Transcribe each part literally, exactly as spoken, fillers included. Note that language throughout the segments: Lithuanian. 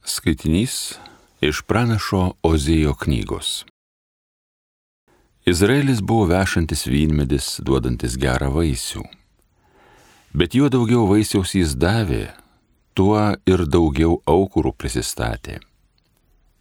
Skaitinys iš pranašo Ozėjo knygos. Izraelis buvo vešantis vynmedis, duodantis gerą vaisių. Bet juo daugiau vaisiaus jis davė, tuo ir daugiau aukurų prisistatė.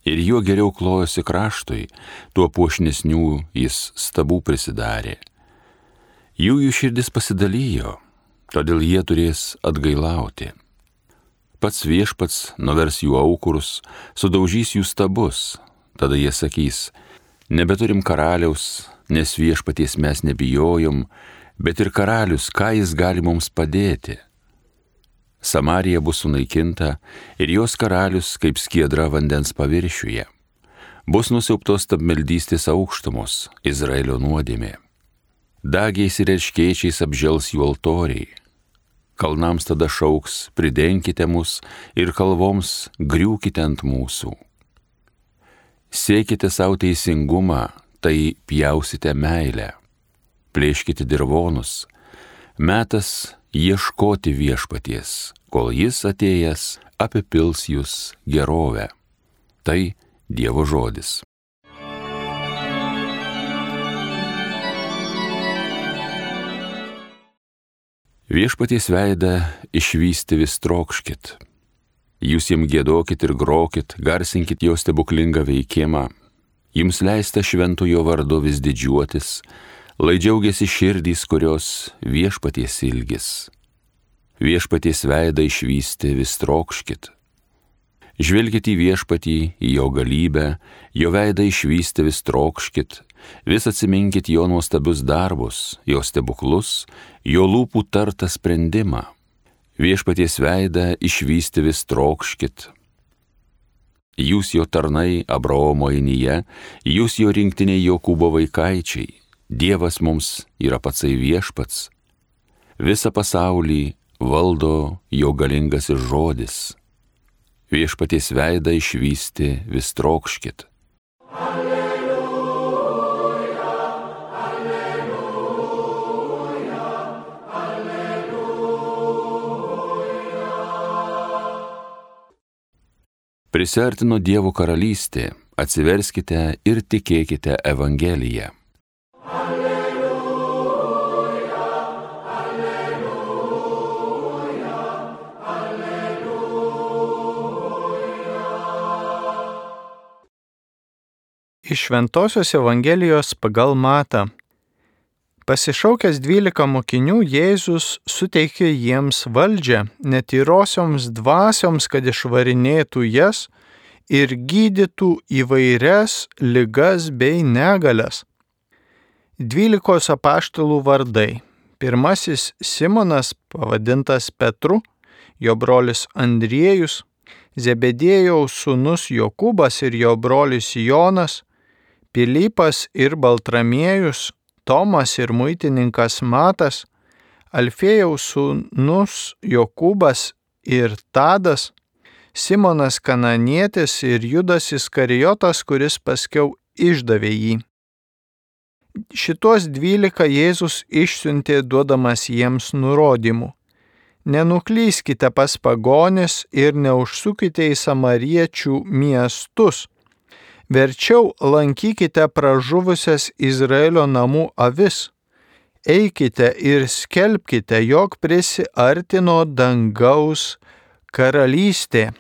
Ir juo geriau klojosi kraštui, tuo puošnesnių jis stabų prisidarė. Jų jų širdis pasidalijo, todėl jie turės atgailauti. Pats viešpats nuvers jų aukurus, sudaužys jų stabus. Tada jie sakys, nebeturim karaliaus, nes viešpaties mes nebijojom, bet ir karalius, ką jis gali mums padėti. Samarija bus sunaikinta ir jos karalius kaip skiedra vandens paviršiuje. Bus nusiaubtos stabmeldystės aukštumos, Izraelio nuodėmė. Dagiais ir erškėčiais apžels jų altoriai. Kalnams tada šauks, pridenkite mus ir kalvoms griūkite ant mūsų. Siekite savo teisingumą, tai pjausite meilę. Plėškite dirvonus. Metas ieškoti viešpaties, kol jis atėjęs apipils jūs gerovę. Tai Dievo žodis. Viešpaties veidą išvysti vis trokškit. Jūs jam giedokit ir grokit, garsinkit jo stebuklingą veikimą. Jums leista šventojo vardu vis didžiuotis, lai džiaugiasi širdys, kurios viešpaties ilgis. Viešpaties veidą išvysti vis trokškit. Žvelkit į viešpatį, į jo galybę, jo veidą išvysti vis trokškit, vis atsiminkit jo nuostabius darbus, jo stebuklus, jo lūpų tartą sprendimą. Viešpaties veidą išvysti vis trokškit. Jūs jo tarnai Abraomo ainyje, jūs jo rinktiniai Jokūbo vaikaičiai. Dievas mums yra patsai viešpats. Visą pasaulį valdo jo galingasis žodis. Viešpaties veidą išvysti vis trokškit. Alleluja, alleluja, alleluja. Prisiartino Dievo karalystė, atsiverskite ir tikėkite Evangeliją. Iš Šventosios Evangelijos pagal Matą. Pasišaukęs dvylika mokinių, Jėzus suteikė jiems valdžią netyrosioms dvasioms, kad išvarinėtų jas ir gydytų įvairias ligas bei negalias. Dvylikos apaštalų vardai. Pirmasis Simonas, pavadintas Petru, jo brolis Andriejus, Zebediejaus sūnus Jokūbas ir jo brolis Jonas, Pilypas ir Baltramiejus, Tomas ir muitininkas Matas, Alfėjaus sūnus Jokūbas ir Tadas, Simonas Kananietis ir Judas Iskarijotas, kuris paskiau išdavė jį. Šitos dvylika Jėzus išsiuntė duodamas jiems nurodymų. Nenuklyskite pas pagonis ir neužsukite į samariečių miestus. Verčiau lankykite pražuvusias Izraelio namų avis. Eikite ir skelbkite, jog prisiartino dangaus karalystė.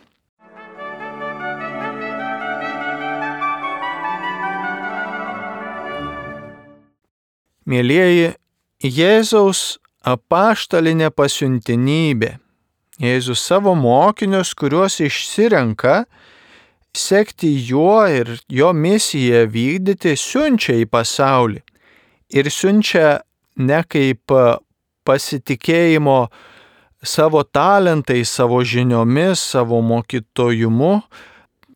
Mielieji, Jėzaus apaštalinė pasiuntinybė. Jėzus savo mokinius, kuriuos išsirenka, sekti juo ir jo misiją vykdyti, siunčia į pasaulį. Ir siunčia ne kaip pasitikėjimo savo talentais, savo žiniomis, savo mokytojumu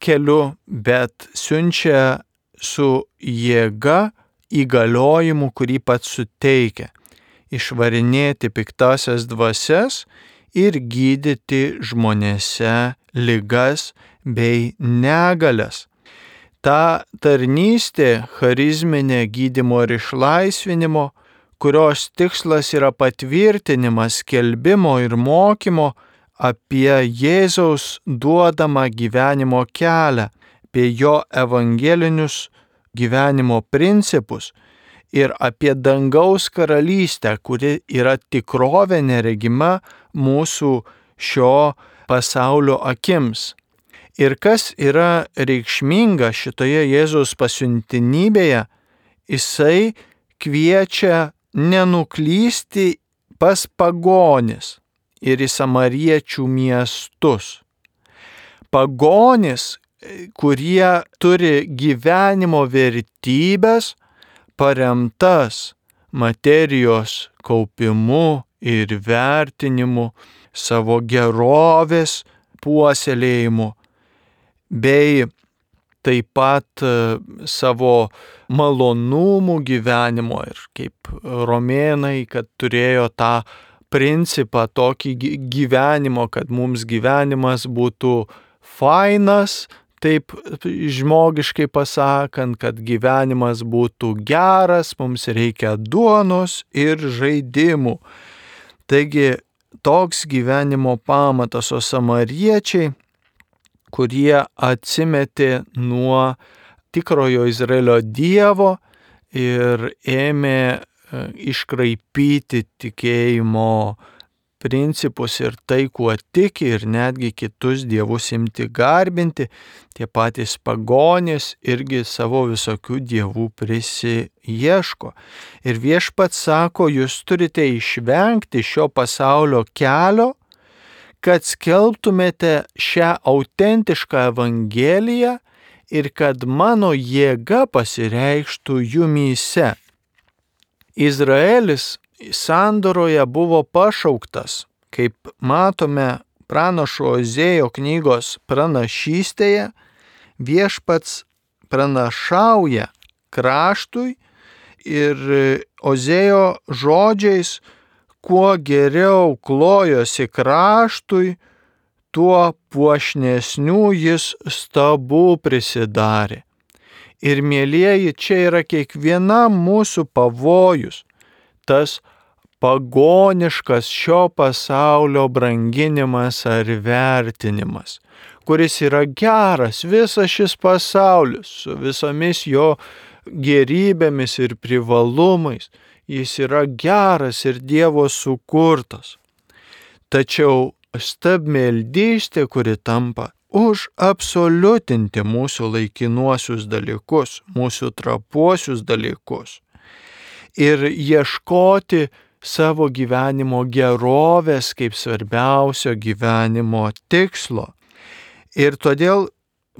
keliu, bet siunčia su jėga įgaliojimu, kurį pats suteikia. Išvarinėti piktasias dvasias ir gydyti žmonėse ligas bei negalias. Ta tarnystė charizminė gydymo ir išlaisvinimo, kurios tikslas yra patvirtinimas skelbimo ir mokymo apie Jėzaus duodamą gyvenimo kelią, apie jo evangelinius gyvenimo principus ir apie dangaus karalystę, kuri yra tikrovė neregima mūsų šio pasaulio akims. Ir kas yra reikšminga šitoje Jėzaus pasiuntinybėje, jisai kviečia nenuklysti pas pagonis ir į samariečių miestus. Pagonis, kurie turi gyvenimo vertybės, paremtas materijos kaupimu ir vertinimu, savo gerovės puoselėjimu, bei taip pat savo malonumų gyvenimo ir kaip romėnai, kad turėjo tą principą tokį gyvenimo, kad mums gyvenimas būtų fainas, taip žmogiškai pasakant, kad gyvenimas būtų geras, mums reikia duonos ir žaidimų. Taigi toks gyvenimo pamatas, o samariečiai, kurie atsimetė nuo tikrojo Izraelio Dievo ir ėmė iškraipyti tikėjimo principus ir tai, kuo tiki, ir netgi kitus dievus imti garbinti, tie patys pagonys irgi savo visokių dievų prisiieško. Ir Viešpats sako, jūs turite išvengti šio pasaulio kelio, kad skelbtumėte šią autentišką evangeliją ir kad mano jėga pasireikštų jumyse. Izraelis sandoroje buvo pašauktas, kaip matome pranašo Ozėjo knygos pranašystėje, Viešpats pranašauja kraštui ir Ozėjo žodžiais, kuo geriau klojosi kraštui, tuo puošnesnių jis stabų prisidarė. Ir mielieji, čia yra kiekvienam mūsų pavojus, tas pagoniškas šio pasaulio branginimas ar vertinimas, kuris yra geras, visas šis pasaulis su visomis jo gerybėmis ir privalumais, jis yra geras ir Dievo sukurtas. Tačiau stabmeldystė, kuri tampa už absoliutinti mūsų laikinuosius dalykus, mūsų trapuosius dalykus ir ieškoti savo gyvenimo gerovės kaip svarbiausio gyvenimo tikslo. Ir todėl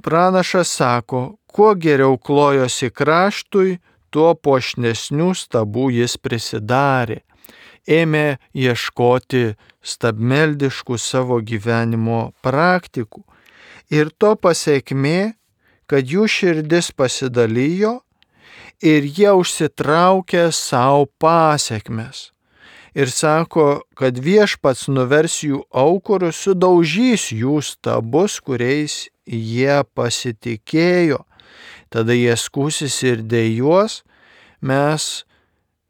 pranašas sako, kuo geriau klojosi kraštui, tuo puošnesnių stabų jis prisidarė. Ėmė ieškoti stabmeldiškų savo gyvenimo praktikų. Ir to pasekmė, kad jų širdis pasidalijo ir jie užsitraukė savo pasekmes. Ir sako, kad Viešpats nuvers jų aukurus, sudaužys jų stabus, kuriais jie pasitikėjo. Tada jie skūsis ir dejuos, mes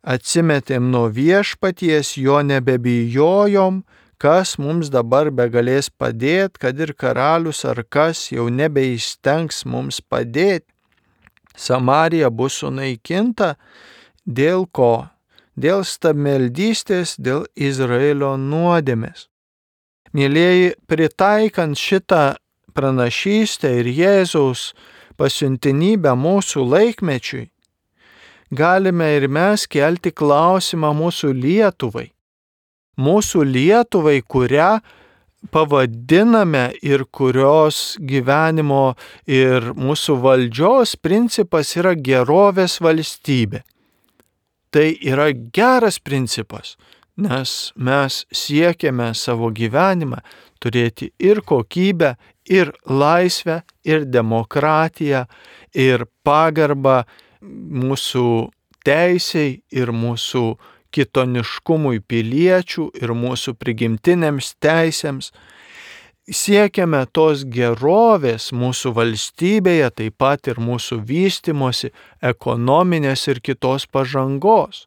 atsimetėm nuo Viešpaties, jo nebebijojom, kas mums dabar begalės padėti, kad ir karalius ar kas jau nebeįstengs mums padėti. Samarija bus sunaikinta dėl ko? Dėl stabmeldystės, dėl Izraelio nuodėmės. Mielieji, pritaikant šitą pranašystę ir Jėzaus pasiuntinybę mūsų laikmečiui, galime ir mes kelti klausimą mūsų Lietuvai. Mūsų Lietuvai, kurią pavadiname ir kurios gyvenimo ir mūsų valdžios principas yra gerovės valstybė. Tai yra geras principas, nes mes siekiame savo gyvenimą turėti ir kokybę, ir laisvę, ir demokratiją, ir pagarbą mūsų teisei ir mūsų kitoniškumui piliečių ir mūsų prigimtinėms teisėms. Siekiame tos gerovės mūsų valstybėje, taip pat ir mūsų vystymosi, ekonominės ir kitos pažangos.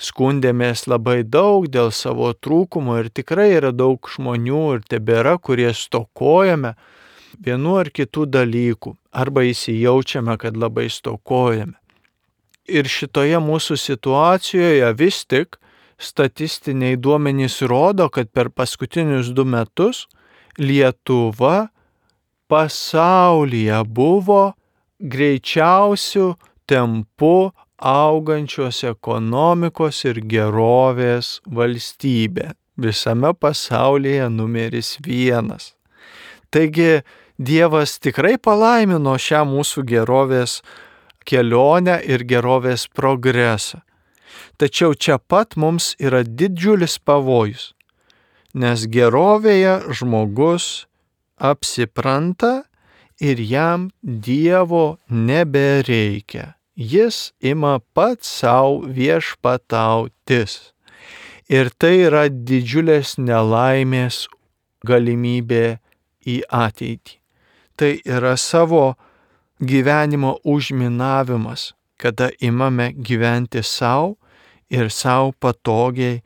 skundėmės labai daug dėl savo trūkumo ir tikrai yra daug žmonių ir tebėra, kurie stokojame vienu ar kitų dalykų arba įsijaučiame, kad labai stokojame. Ir šitoje mūsų situacijoje vis tik statistiniai duomenys rodo, kad per paskutinius du metus Lietuva pasaulyje buvo greičiausių tempų augančios ekonomikos ir gerovės valstybė. Visame pasaulyje numeris vienas. Taigi Dievas tikrai palaimino šią mūsų gerovės kelionę ir gerovės progresą. Tačiau čia pat mums yra didžiulis pavojus, nes gerovėje žmogus apsipranta ir jam Dievo nebereikia. Jis ima pats savo viešpatautis. Ir tai yra didžiulės nelaimės galimybė į ateitį. Tai yra savo gyvenimo užminavimas, kada imame gyventi savo ir savo patogiai,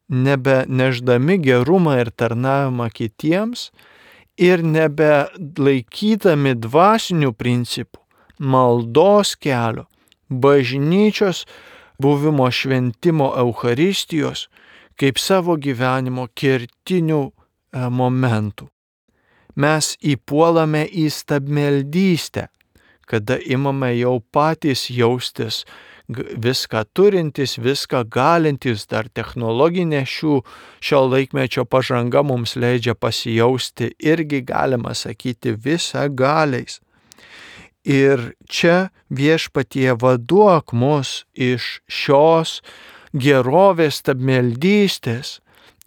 nebe neždami gerumą ir tarnavimą kitiems ir nebe laikydami dvasinių principų, maldos kelio, bažnyčios buvimo šventimo Eucharistijos kaip savo gyvenimo kertinių momentų. Mes įpuolame į stabmeldystę, kada imame jau patys jaustis viską turintis, viską galintis, dar technologinė šių šio laikmečio pažanga mums leidžia pasijausti irgi galima sakyti visagaliais. Ir čia Viešpatie vaduok mus iš šios gerovės stabmeldystės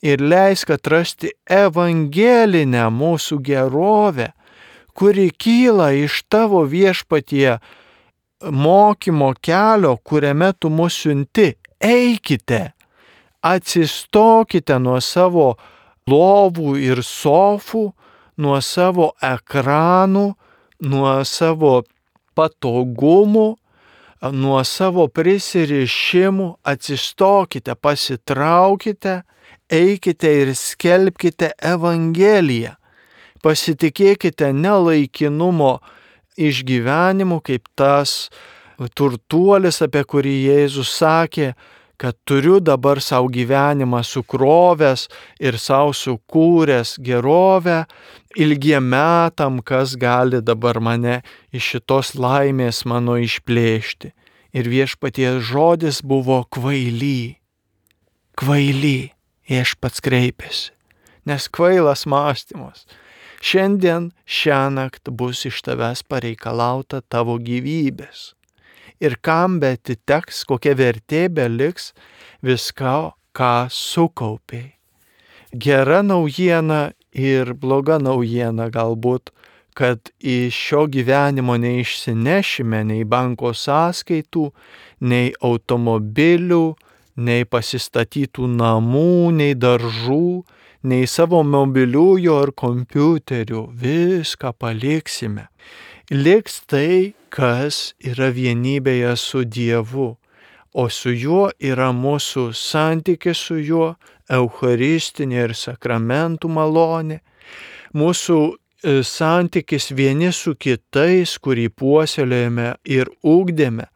ir leisk atrasti evangelinę mūsų gerovę, kuri kyla iš tavo Viešpatie mokymo kelio, kuriame tu mus siunti. Eikite, atsistokite nuo savo lovų ir sofų, nuo savo ekranų, nuo savo patogumų, nuo savo prisirišimų, atsistokite, pasitraukite, eikite ir skelbkite Evangeliją. Pasitikėkite nelaikinumo išgyvenimu, kaip tas turtuolis, apie kurį Jėzus sakė, kad turiu dabar savo gyvenimą sukrovęs ir savo sukūręs gerovę, ilgiem metam, kas gali dabar mane iš šitos laimės mano išplėšti. Ir Viešpaties žodis buvo kvaily. Kvaily, Viešpats kreipėsi, nes kvailas mąstymas. Šiandien šiąnakt bus iš tavęs pareikalauta tavo gyvybės. Ir kam betiteks, kokia vertė beliks viską, ką sukaupiai. Gera naujiena ir bloga naujiena galbūt, kad iš šio gyvenimo neišsinešime nei banko sąskaitų, nei automobilių, nei pasistatytų namų, nei daržų, nei savo mobiliųjų ar kompiuterių, viską paliksime. Liks tai, kas yra vienybėje su Dievu, o su juo yra mūsų santykis su juo, eucharistinė ir sakramentų malonė, mūsų santykis vieni su kitais, kurį puoselėjame ir ugdėme,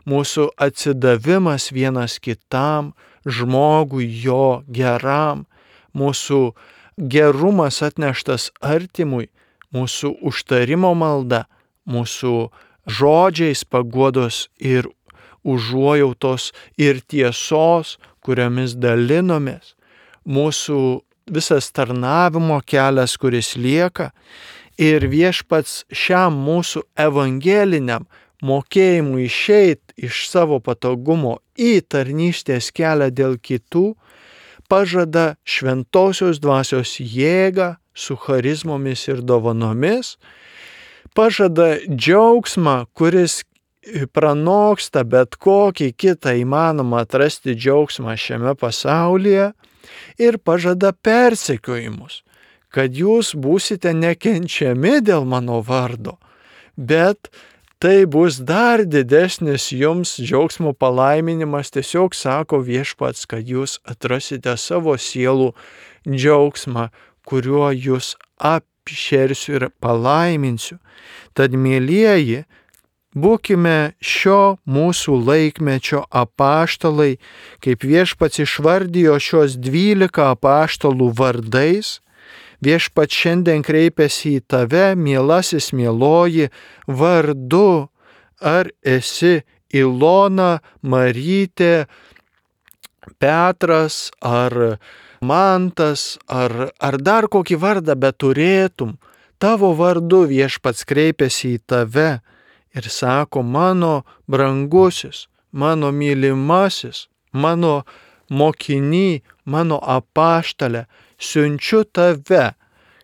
mūsų atsidavimas vienas kitam, žmogui jo geram, mūsų gerumas atneštas artimui, mūsų užtarimo malda, mūsų žodžiais paguodos ir užuojautos ir tiesos, kuriomis dalinomės, mūsų visas tarnavimo kelias, kuris lieka, ir Viešpats šiam mūsų evangeliniam mokėjimui išeit iš savo patogumo į tarnystės kelią dėl kitų, pažada šventosios dvasios jėgą su charizmomis ir dovanomis, pažada džiaugsmą, kuris pranoksta bet kokį kitą įmanomą atrasti džiaugsmą šiame pasaulyje, ir pažada persekiojimus, kad jūs būsite nekenčiami dėl mano vardo, bet tai bus dar didesnis jums džiaugsmo palaiminimas. Tiesiog sako Viešpats, kad jūs atrasite savo sielų džiaugsmą, kuriuo jūs apšersiu ir palaiminsiu. Tad, mielieji, būkime šio mūsų laikmečio apaštalai, kaip Viešpats išvardijo šios dvylika apaštalų vardais. Viešpats šiandien kreipiasi į tave, mielasis, mieloji, vardu. Ar esi Ilona, Marytė, Petras, ar Mantas, ar, ar dar kokį vardą beturėtum? Tavo vardu Viešpats kreipiasi į tave ir sako, mano brangusis, mano mylimasis, mano mokiny, mano apaštalė, siunčiu tave,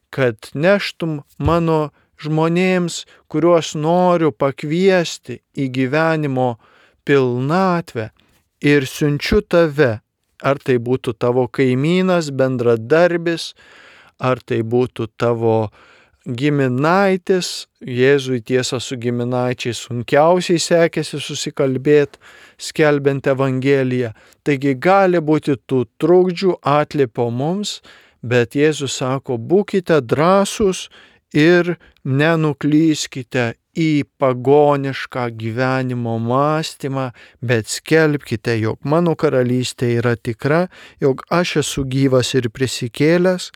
kad neštum mano žmonėms, kuriuos noriu pakviesti į gyvenimo pilnatvę, ir siunčiu tave, ar tai būtų tavo kaimynas, bendradarbis, ar tai būtų tavo giminaitis. Jėzui tiesa su giminaičiais sunkiausiai sekėsi susikalbėti, skelbiant Evangeliją. Taigi gali būti tų trukdžių atliepo mums, bet Jėzus sako, būkite drąsūs ir nenuklyskite į pagonišką gyvenimo mąstymą, bet skelbkite, jog mano karalystė yra tikra, jog aš esu gyvas ir prisikėlęs,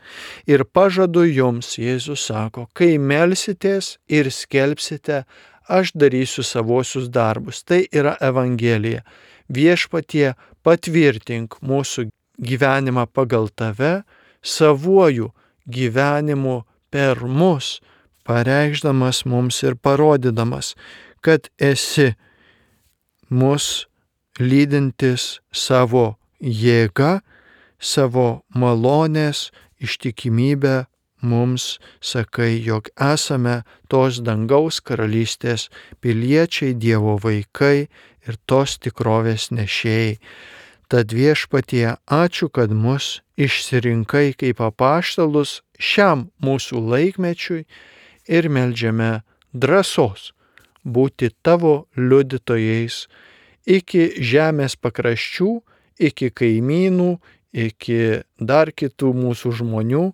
ir pažadu jums, Jėzus sako, kai melsitės ir skelbsite, aš darysiu savosius darbus. Tai yra Evangelija. Viešpatie, patvirtink mūsų gyvenimą pagal tave, savuoju gyvenimu per mus, pareikšdamas mums ir parodydamas, kad esi mus lydintis savo jėga, savo malonės, ištikimybę mums sakai, jog esame tos dangaus karalystės piliečiai, Dievo vaikai ir tos tikrovės nešėjai. Tad Viešpatie, ačiū, kad mus išsirinkai kaip apaštalus šiam mūsų laikmečiui ir meldžiame drąsos būti tavo liudytojais iki žemės pakraščių, iki kaimynų, iki dar kitų mūsų žmonių,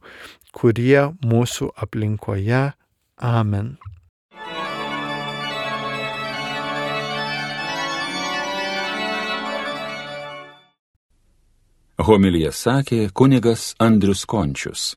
kurie mūsų aplinkoje. Amen. Homiliją sakė kunigas Andrius Končius.